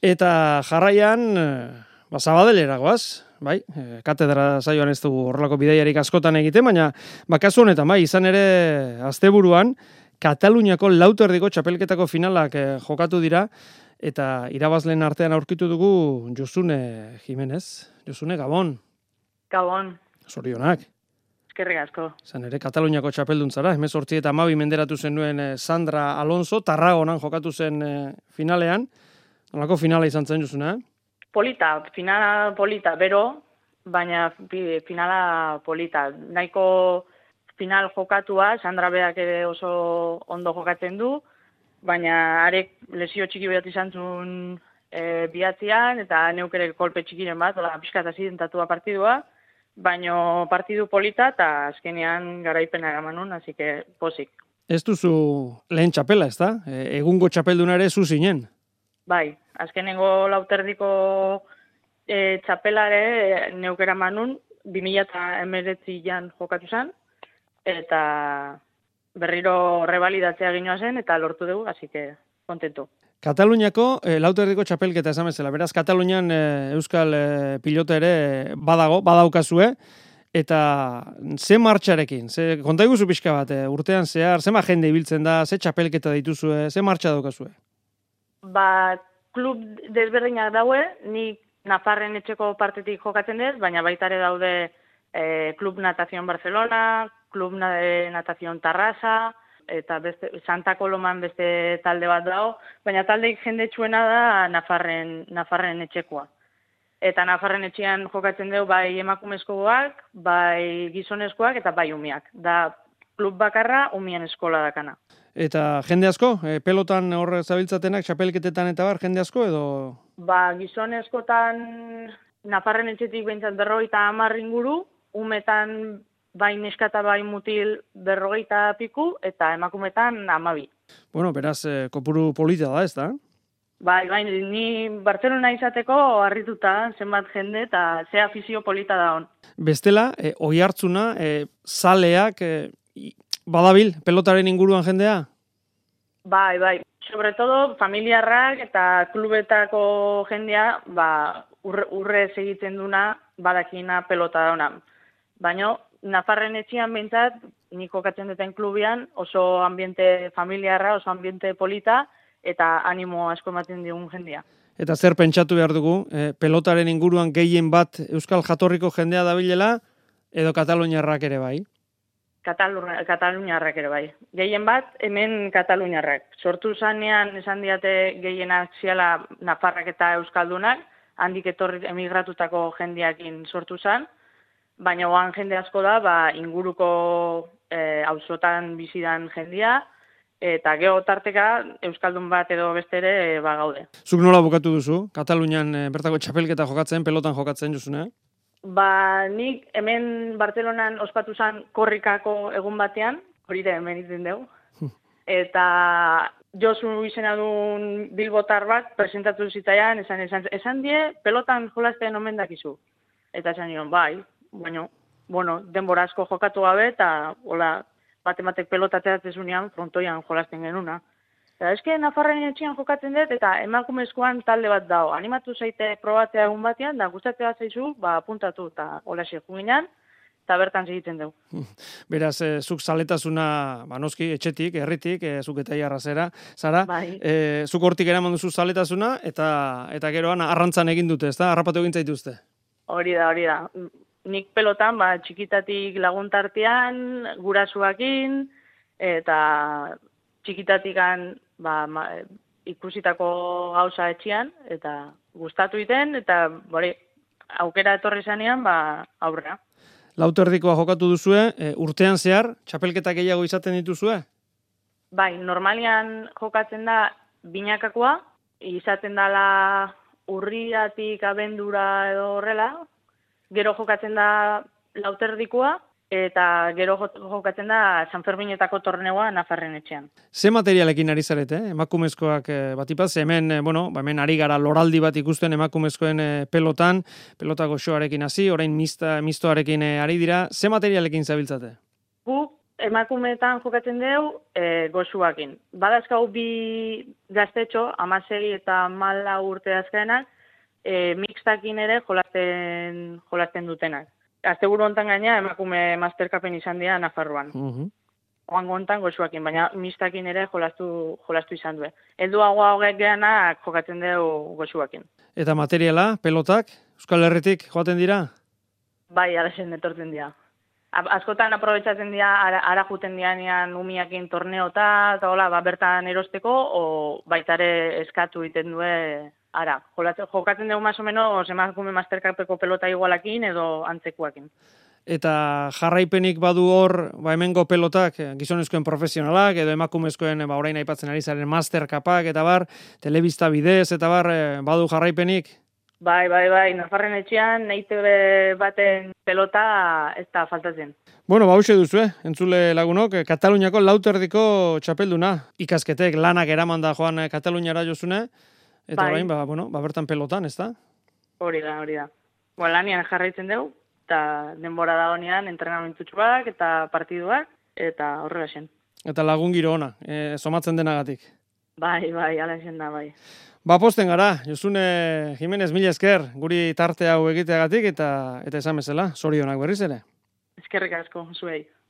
Eta jarraian, Sabadelera goaz, bai, katedra saioan ez dugu horrelako bidaiarik askotan egiten, baina kasu honetan, bai, izan ere asteburuan Kataluniako lauterdiko txapelketako finalak jokatu dira, eta irabazleen artean aurkitu dugu Josune Jimenez. Josune, Gabon. Gabon. Zorionak. Eskerrik asko. Izan ere Kataluniako txapelduntzara, 18 eta 12 menderatu zenuen Sandra Alonso, Tarragonan jokatu zen finalean. Nolako finala izan zen, Josune? Finala polita, bero, baina finala polita. Nahiko final jokatua, Sandra beak ere oso ondo jokatzen du, baina arek lesio txiki bat izan zuen bihatzean, eta neuk ere kolpe txikiren bat, pixkat azidentatua partidua, baina partidu polita eta azkenean garaipena eramanun, hasi que pozik. Ez duzu lehen txapela, ez da? Egungo txapelduna ere zu zinen? Bai, azkenengo lauterdiko txapelare neukera manun, 2019an jokatu zen, eta berriro revalidatzea ginoa zen, eta lortu dugu, hasi que kontentu. Kataluniako lauterdiko txapelketa esan bezala, beraz Katalunian euskal pilota ere badaukazue, eta ze martxarekin, konta iguzu pixka bat, urtean zehar, ze jende ibiltzen da, ze txapelketa dituzue, ze martxa daukazue? Klub desberdinak daue, nik Nafarren etxeko partetik jokatzen dez, baina baita ere daude Klub Natación Barcelona, Klub Natación Tarrasa, eta Santa Coloman beste talde bat dago, baina taldeik jendetsuena da Nafarren etxekoa. Eta Nafarren etxean jokatzen dugu bai emakumezkoak, bai gizonezkoak eta bai umiak. Da klub bakarra umien eskola dakana. Eta jende asko? Pelotan hor zabiltzatenak, txapelketetan eta bar, jende asko edo? Gizonezkotan Nafarren etxetik behintzat 50 inguru, umetan bai neska eta bai mutil 40 piku, eta emakumetan 12. Bueno, beraz, kopuru polita da, ez da? Bai, ni Barcelona izateko harrituta zenbat jende eta ze afizio polita da hon. Bestela, oihartzuna, zaleak, badabil, pelotaren inguruan jendea? Bai. Sobre todo, familiarrak eta klubetako jendea, urre egiten duna, badakina pelota da hona. Baina, Nafarren etxean behintzat, nik jokatzen duten klubian, oso ambiente familiarra, oso ambiente polita, eta animo asko ematen digun jendea. Eta zer pentsatu behar dugu, pelotaren inguruan gehien bat euskal jatorriko jendea dabilela, edo kataluniarrak ere bai? Kataluniarrak ere bai. Gehien bat, hemen kataluniarrak. Sortu zanean, esan diate gehienak ziala Nafarrak eta euskaldunak, handik etorri emigratutako jendeakin sortu zan, baina oan jende asko da, inguruko auzotan bizidan jendea, eta geho tarteka euskaldun bat edo bestere gaude. Zuk nola bukatu duzu? Katalunian bertako txapelketa jokatzen, pelotan jokatzen Josune? Nik hemen Bartzelonan ospatu zen korrikako egun batean, hori da hemen izan dugu, eta Josu izena duen bilbotar bat presentatu zitzaian, esan die, pelotan jolasten omen dakizu. Eta esan nion, bai, baina, denbora asko jokatu gabe, eta hola, batematek pelotateatzen zunean, frontoian jolasten genuna. Eta eske Nafarren etxean jokatzen dut, eta emakumezkoan talde bat dago. Animatu zaite probatzea egun batean, da gustatzea zaizu, apuntatu eta hola juginan, eta bertan segiten dugu. Beraz, zuk zaletasuna, noski, etxetik, herritik, zuk eta jarrazera, zara, bai. Zuk hortik eraman duzu zaletasuna, eta geroan arrantzan egin dute, ez da? Arrapatu egin zaituzte? Hori da. Nik pelotan, txikitatik laguntartean, gurasuakin, eta txikitatikan ikusitako gauza etxean, eta gustatu iten, eta aukera etorri zanean, aurrera. Lauterdikoa jokatu duzue, urtean zehar, txapelketak gehiago izaten dituzue? Bai, normalian jokatzen da binakakoa, izaten dala urriatik abendura edo horrela, gero jokatzen da lauterdikoa, eta gero jokatzen da San Ferminetako torneoa Nafarren etxean. Ze materialekin ari zarete, emakumezkoak batipaz, hemen ari gara loraldi bat ikusten emakumezkoen pelotan, pelotako xoarekin hasi, orain mistoarekin ari dira, ze materialekin zabiltzate? Guk emakumeetan jokatzen dugu goxuakin. Badazkau bi gaztetxo, 16 eta 14 urte azkenak, mixtakin ere jolasten dutenak. Asteburu hontan gaina emakume masterkapen izan dira Nafarroan. Oango hontan goxuakin, baina mixtakin ere jolastu izan du. Helduagoa hogek geanak jokatzen dugu goxuakin. Eta materiala, pelotak, Euskal Herritik joaten dira? Bai, alaxen etortzen dira. Askotan aprobetsatzen dira, ara juten dianean umiakin torneota, eta hola, bertan erosteko, o baitare eskatu egiten du ara. Jokatzen dugu más o menos emakume mastercapeko pelota igualakin edo antzekuakin. Eta jarraipenik badu hor, hemengo pelotak, gizonezkoen profesionalak, edo emakumezkoen, orain aipatzen ari zaren mastercapak, eta bar, telebista bidez, eta bar, badu jarraipenik? Bai, Nafarren etxean, EITB baten pelota ez da faltatzen. Bueno, hauxe duzu, entzule lagunok, Kataluniako lauterdiko txapelduna. Ikasketek lanak eraman da joan Kataluniara jozune, eta orain, bertan pelotan, ez da? Hori da. Lanian jarraitzen dugu, eta denbora da honean entrenamentutxuak eta partiduak, eta horrela zen. Eta lagun giro ona, somatzen denagatik. Bai, ala zen da, bai. Posten gara, Josune Jimenez, mila esker, guri tarte hau egiteagatik, eta esan bezala, zorionak berriz ere. Eskerrik asko, zuei.